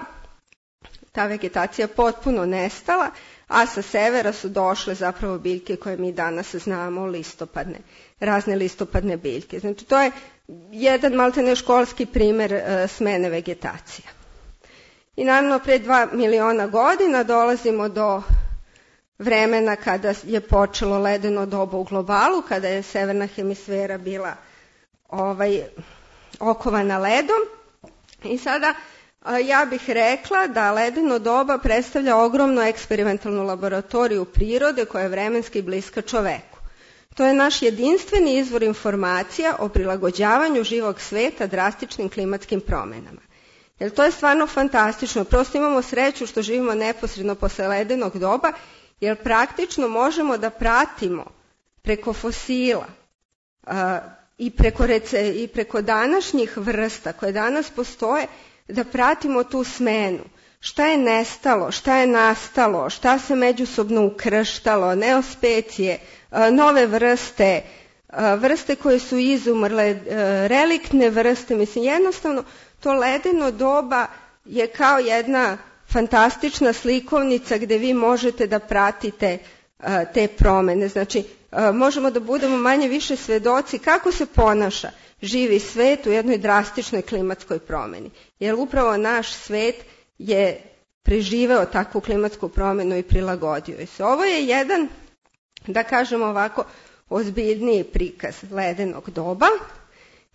ta vegetacija potpuno nestala, a sa severa su došle zapravo biljke koje mi danas znamo, razne listopadne biljke. Znači to je jedan maltene školski primer smene vegetacija. I naravno pre 2 miliona godina dolazimo do vremena kada je počelo ledeno doba u globalu, kada je severna hemisfera bila okovana ledom. I sada ja bih rekla da ledeno doba predstavlja ogromnu eksperimentalnu laboratoriju prirode koja je vremenski bliska čoveku. To je naš jedinstveni izvor informacija o prilagođavanju živog sveta drastičnim klimatskim promenama. Jer to je stvarno fantastično. Prosto imamo sreću što živimo neposredno posle ledenog doba, jer praktično možemo da pratimo preko fosila i preko današnjih vrsta koje danas postoje, da pratimo tu smenu. šta je nestalo, šta je nastalo, šta se međusobno ukrštalo, neospecije, nove vrste, vrste koje su izumrle, reliktne vrste, mislim jednostavno to ledeno doba je kao jedna fantastična slikovnica gde vi možete da pratite te promene. Znači, možemo da budemo manje više svedoci kako se ponaša živi svet u jednoj drastičnoj klimatskoj promeni. Jer upravo naš svet je preživeo takvu klimatsku promenu i prilagodio se. Ovo je jedan, da kažemo ovako, ozbiljniji prikaz ledenog doba.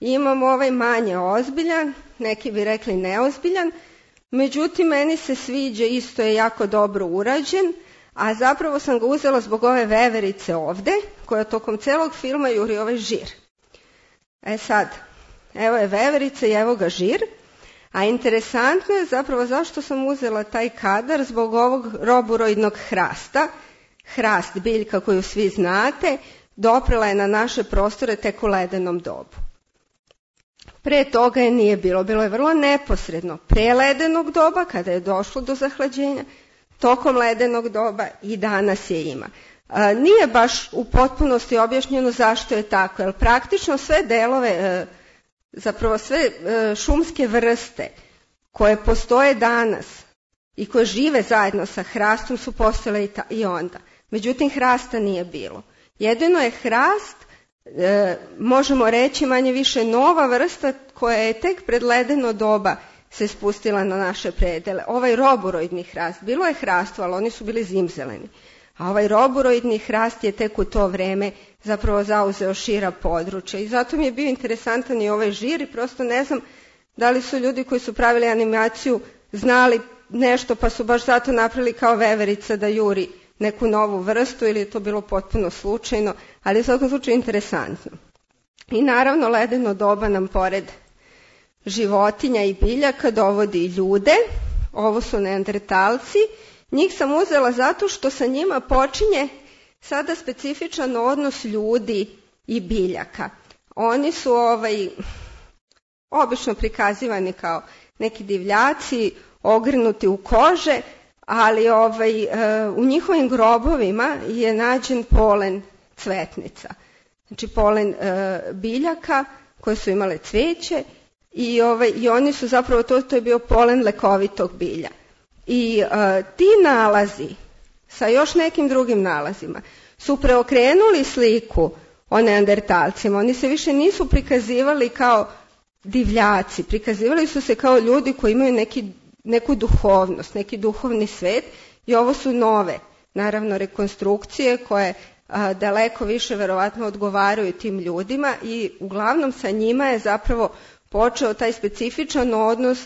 Imamo ovaj manje ozbiljan, neki bi rekli neozbiljan, međutim meni se sviđa, isto je jako dobro urađen, a zapravo sam ga uzela zbog ove veverice ovde, koja tokom celog filma juri ovaj žir. Sad, evo je veverica i evo ga žir, a interesantno je zapravo zašto sam uzela taj kadar, zbog ovog roburoidnog hrasta. Hrast, biljka koju svi znate, doprela je na naše prostore tek u ledenom dobu. Pre toga je nije bilo, bilo je vrlo neposredno, pre ledenog doba, kada je došlo do zahlađenja, tokom ledenog doba i danas je ima. Nije baš u potpunosti objašnjeno zašto je tako, jer praktično sve delove, zapravo sve šumske vrste koje postoje danas i koje žive zajedno sa hrastom su postojale i onda. Međutim, hrasta nije bilo. Jedino je hrast, možemo reći manje više nova vrsta koja je tek pred ledeno doba se spustila na naše predele. Ovaj roburoidni hrast, bilo je hrastvo, ali oni su bili zimzeleni. A ovaj roburoidni hrast je tek u to vreme zapravo zauzeo šira područja. I zato mi je bio interesantan i ovaj žir i prosto ne znam da li su ljudi koji su pravili animaciju znali nešto pa su baš zato napravili kao veverica da juri neku novu vrstu ili je to bilo potpuno slučajno, ali je u svakom slučaju interesantno. I naravno ledeno doba nam pored životinja i biljaka dovodi i ljude. Ovo su neandertalci. Njih sam uzela zato što sa njima počinje sada specifičan odnos ljudi i biljaka. Oni su obično prikazivani kao neki divljaci, ogrnuti u kože, ali u njihovim grobovima je nađen polen cvetnica. Znači polen biljaka koje su imale cveće i oni su zapravo, to je bio polen lekovitog bilja. I ti nalazi sa još nekim drugim nalazima su preokrenuli sliku o neandertalcima. Oni se više nisu prikazivali kao divljaci, prikazivali su se kao ljudi koji imaju neku duhovnost, neki duhovni svet i ovo su nove, naravno, rekonstrukcije koje daleko više verovatno odgovaraju tim ljudima i uglavnom sa njima je zapravo počeo taj specifičan odnos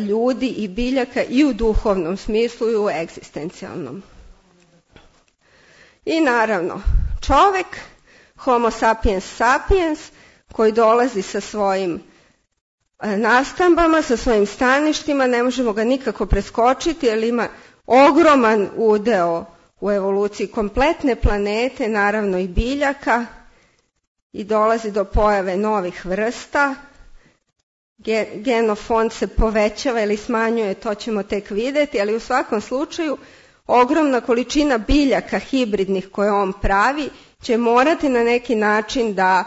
ljudi i biljaka i u duhovnom smislu i u egzistencijalnom. I naravno, čovek, homo sapiens sapiens, koji dolazi sa svojim nastambama, sa svojim staništima, ne možemo ga nikako preskočiti jer ima ogroman udeo u evoluciji kompletne planete, naravno i biljaka, i dolazi do pojave novih vrsta. Genofond se povećava ili smanjuje, to ćemo tek videti, ali u svakom slučaju ogromna količina biljaka hibridnih koje on pravi će morati na neki način da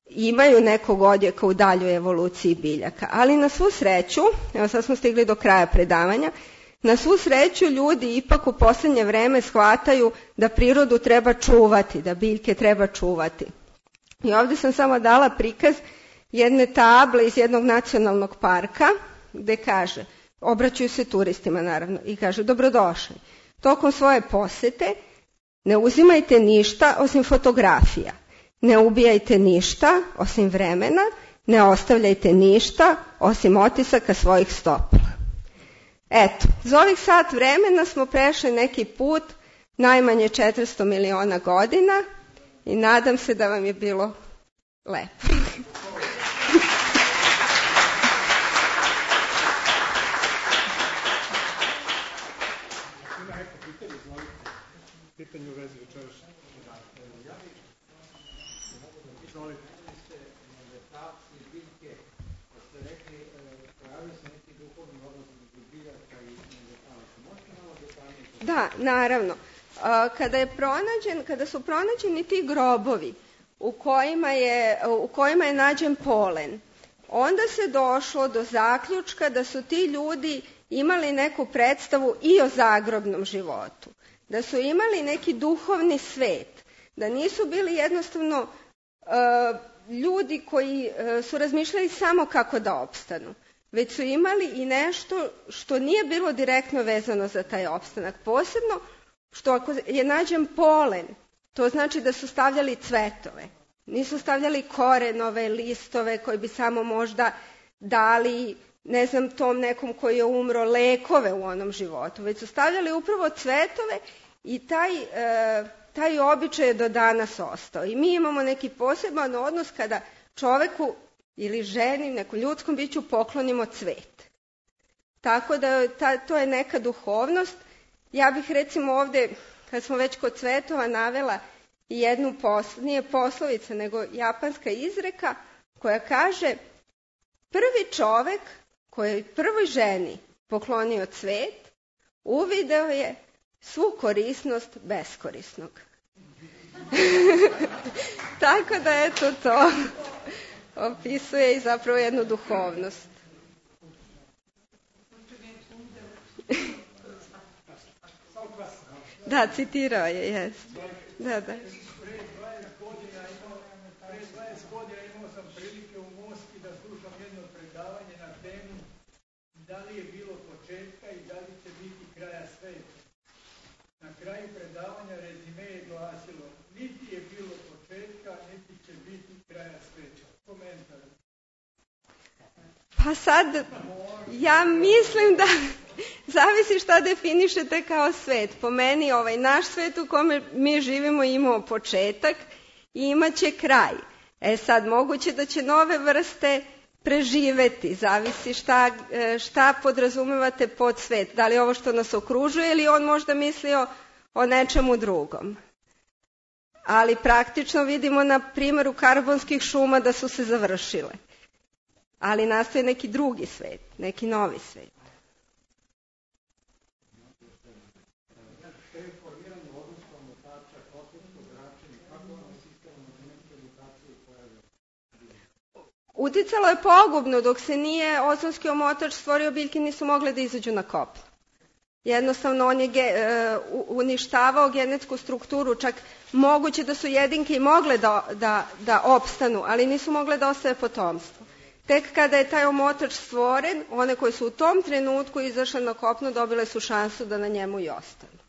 imaju nekog odjeka u daljoj evoluciji biljaka. Ali na svu sreću, evo sad smo stigli do kraja predavanja, na svu sreću ljudi ipak u poslednje vreme shvataju da prirodu treba čuvati, da biljke treba čuvati. I ovdje sam samo dala prikaz jedne table iz jednog nacionalnog parka gde kaže, obraćaju se turistima naravno, i kaže dobrodošli. Tokom svoje posete ne uzimajte ništa osim fotografija, ne ubijajte ništa osim vremena, ne ostavljajte ništa osim otisaka svojih stopala. Eto, za ovih sat vremena smo prešli neki put najmanje 400 miliona godina i nadam se da vam je bilo lepo. Pitanje u vezi večerašnje. Izvolite. Neandertalci, biljke, ste rekli, pojavili se neki duhovni odnos između biljaka i Da, naravno. Kada su pronađeni ti grobovi u kojima je nađen polen, onda se došlo do zaključka da su ti ljudi imali neku predstavu i o zagrobnom životu, da su imali neki duhovni svet, da nisu bili jednostavno ljudi koji su razmišljali samo kako da opstanu, već su imali i nešto što nije bilo direktno vezano za taj opstanak. Posebno što ako je nađen polen, to znači da su stavljali cvetove. Nisu stavljali korenove, listove koji bi samo možda dali, ne znam, tom nekom koji je umro, lekove u onom životu, već su stavljali upravo cvetove i taj običaj je do danas ostao. I mi imamo neki poseban odnos kada čoveku ili ženi, nekom ljudskom biću poklonimo cvet. Tako da to je neka duhovnost. Ja bih recimo ovde, kad smo već kod cvetova, navela jednu nije poslovica, nego japanska izreka koja kaže: prvi čovek koji je prvoj ženi poklonio cvet, uvideo je svu korisnost beskorisnog. Tako da eto to opisuje i zapravo jednu duhovnost. Da, citirao je, jes. Da. Pre 20 godina imao sam prilike u Moskvi da slušam jedno predavanje na temu da li je bilo početka i da li će biti kraja sveta. Na kraju predavanja rezime je glasilo: niti je bilo početka, niti će biti kraja sveta. Komentar. Pa sad, ja mislim da zavisi šta definišete kao svet. Po meni naš svet u kome mi živimo imao početak i imaće kraj. Sad, moguće da će nove vrste preživeti, zavisi šta podrazumevate pod svet. Da li ovo što nas okružuje ili on možda mislio o nečemu drugom. Ali praktično vidimo na primjeru karbonskih šuma da su se završile. Ali nastaje neki drugi svet, neki novi svet. Uticalo je pogubno, dok se nije ozonski omotač stvorio, biljke nisu mogle da izađu na kopno. Jednostavno on je uništavao genetsku strukturu, čak moguće da su jedinke i mogle da opstanu, ali nisu mogle da ostave potomstvo. Tek kada je taj omotač stvoren, one koje su u tom trenutku izašle na kopno dobile su šansu da na njemu i ostanu.